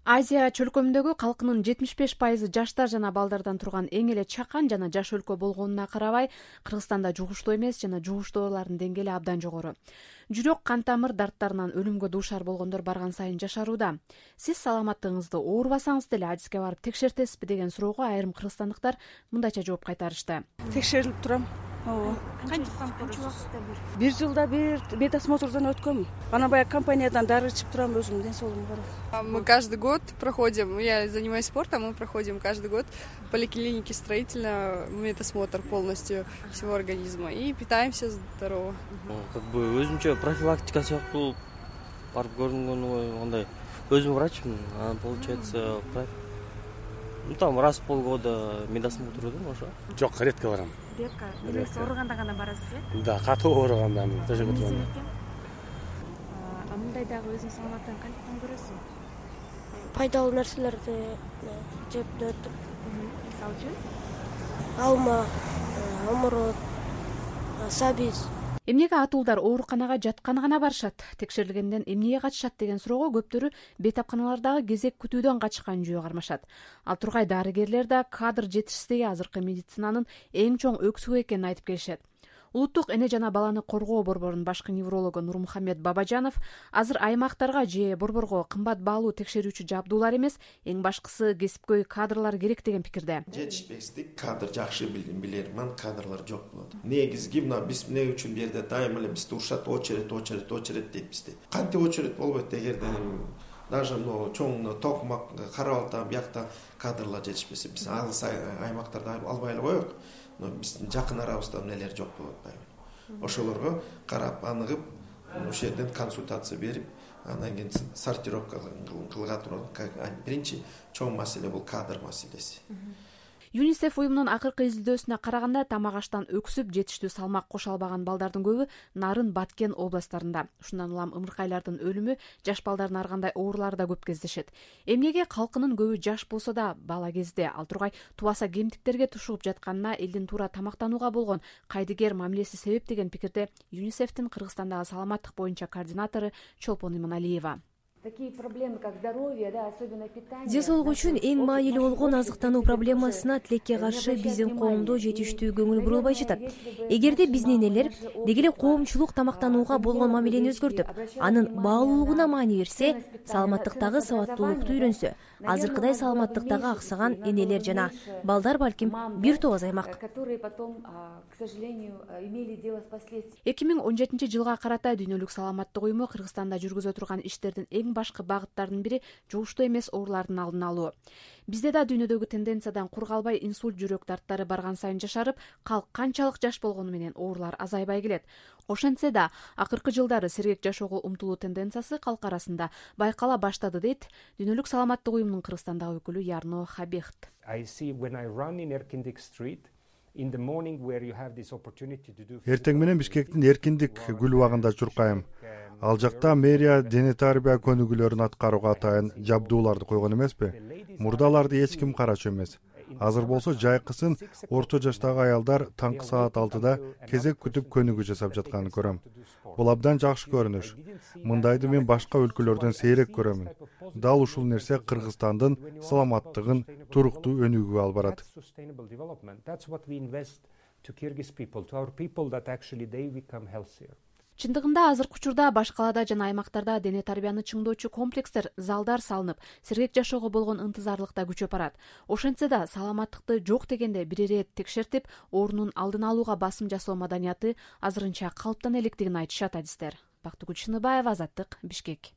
Азия чөлкөмүндөгү калкынын 75% жаштар жана балдардан турган эң эле чакан жана жаш өлкө болгонуна карабай, Кыргызстанда жугуштуу эмес жана жугуштуу оорулардын деңгээли абдан жогору. Жүрөк, кан тамыр дарттарынан өлүмгө дуушар болгондор барган сайын жашарууда. Сиз саламаттыгыңызды оорубасаңыз деле адиске барып текшертесизби деген суроого айрым кыргызстандыктар мындайча жооп кайтарышты. Текшерилип турам. Канча убакытта бир жылда бир медосмотрдон өткөм. Анан баягы компаниядан дары ичип турам, өзүмдүн ден соолугум бар. Мы каждый год проходим, я занимаюсь спортом, мы проходим каждый год в поликлинике строительно медосмотр полностью всего организма и питаемся здорово. Өзүмчө профилактика сыяктуу барып көрүнгөн андай. Өзүм врачмын, получается, там раз в полгода медосмотр өтөм ошо. Жок, редко барам. Редко. Элес ооруганда гана барасыз, э? Да, катуу ооруганда төшөгө Эмне турам. себептен? Мындай дагы өзүңүз саламаттыгын кантип көрөсүң? Пайдалуу нерселерди жеп өтүп. Мисалы үчүн? Алма, оморот, сабиз. Эмнеге атуулдар ооруканага жатканы гана барышат? Текшерилгенден эмнеге качышат деген суроого көптөрү бейтапканалардагы кезек күтүүдөн качкан жүйө кармашат. Ал тургай дарыгерлер да кадр жетишсиздиги азыркы медицинанын эң чоң өксүгү экенин айтып келишет. Улуттук эне жана баланы коргоо борборунун башкы неврологу Нурмухаммед Бабажанов азыр аймактарга же борборго кымбат баалуу текшерүүчү жабдуулар эмес, эң башкысы кесипкөй кадрлар керек деген пикирде. Жетишпестик, кадр жакшы билерман, кадрлар жок болот. Негизги мына биз эмне үчүн бул жерде дайыма эле бизди урушат, очередь дейт бизди. Кантип очередь болбойт эгерде даже чоң токмак карап атам, биякта кадрлар жетишпесе, биз алыс аймактарда албай эле коелук. Но биздин жакын арабызда эмнелер жок болуп атпайбы. Ошолорго карап аныгып, ошол жерден консультация берип, андан кийин сортировка кылга турат. Биринчи чоң маселе бул кадр маселеси. ЮНИСЕФ уюмунун акыркы изилдөөсүнө караганда тамак аштан өксүп жетиштүү салмак кошо албаган балдардын көбү Нарын, Баткен областтарында. Ушундан улам ымыркайлардын өлүмү, жаш балдардын ар кандай оорулары да көп кездешет. Эмнеге калкынын көбү жаш болсо да бала кезде, ал тургай тубаса кемтиктерге тушугуп жатканына элдин туура тамактанууга болгон кайдыгер мамилеси себеп деген пикирде ЮНИСЕФтин Кыргызстандагы саламаттык боюнча координатору Чолпон Иманалиева. Такие проблемы, как здоровье, да, особенно питание. Ден соолук үчүн эң маанилүү болгон азыктануу проблемасына тилекке каршы биздин коомдо жетиштүү көңүл бурулбай жатат. Эгерде биздин энелер деги эле коомчулук тамактанууга болгон мамилени өзгөртүп, анын баалуулугуна маани берсе, саламаттыктагы сабаттуулукту үйрөнсө, азыркыдай саламаттыктагы аксаган энелер жана балдар балким бир топ азаймак. 2017 жылга карата Дүйнөлүк саламаттык уюму Кыргызстанда жүргүзө турган иштердин эң башкы багыттарынын бири жугуштуу эмес оорулардын алдын алуу. Бизде да дүйнөдөгү тенденциядан кур калбай инсульт, жүрөк дарттары барган сайын жашарып, калк канчалык жаш болгону менен оорулар азайбай келет. Ошентсе да, акыркы жылдары сергек жашоого умтулуу тенденциясы калк арасында байкала баштады дейт Дүйнөлүк саламаттык уюмунун Кыргызстандагы өкүлү Ярно Хабихт. Эртең менен Бишкектин Эркиндик гүл багында чуркайм. Ал жакта мэрия дене тарбия көнүгүүлөрүн аткарууга атайын жабдууларды койгон эмеспи? Мурдаларды эч ким карачу эмес. Азыр болсо жайкысын орто жаштагы аялдар таңкы саат 6-да кезек күтүп көнүгүү жасап жатканын көрөм. Бул абдан жакшы көрүнүш. Мындайды мен башка өлкөлөрдөн сейрек көрөмүн. Дал ушул нерсе Кыргызстандын саламаттыгын туруктуу өнүгүүгө алып барат. Чындыгында азыркы учурда баш калаада жана аймактарда дене тарбияны чыңдоочу комплекстер, залдар салынып, сергек жашоого болгон ынтызарлык да күчөп барат. Ошентсе да саламаттыкты жок дегенде бир ирет текшертип, оорунун алдын алууга басым жасоо маданияты азырынча калыптана электигин айтышат адистер. Бактыгүл Шыныбаева, Азаттык, Бишкек.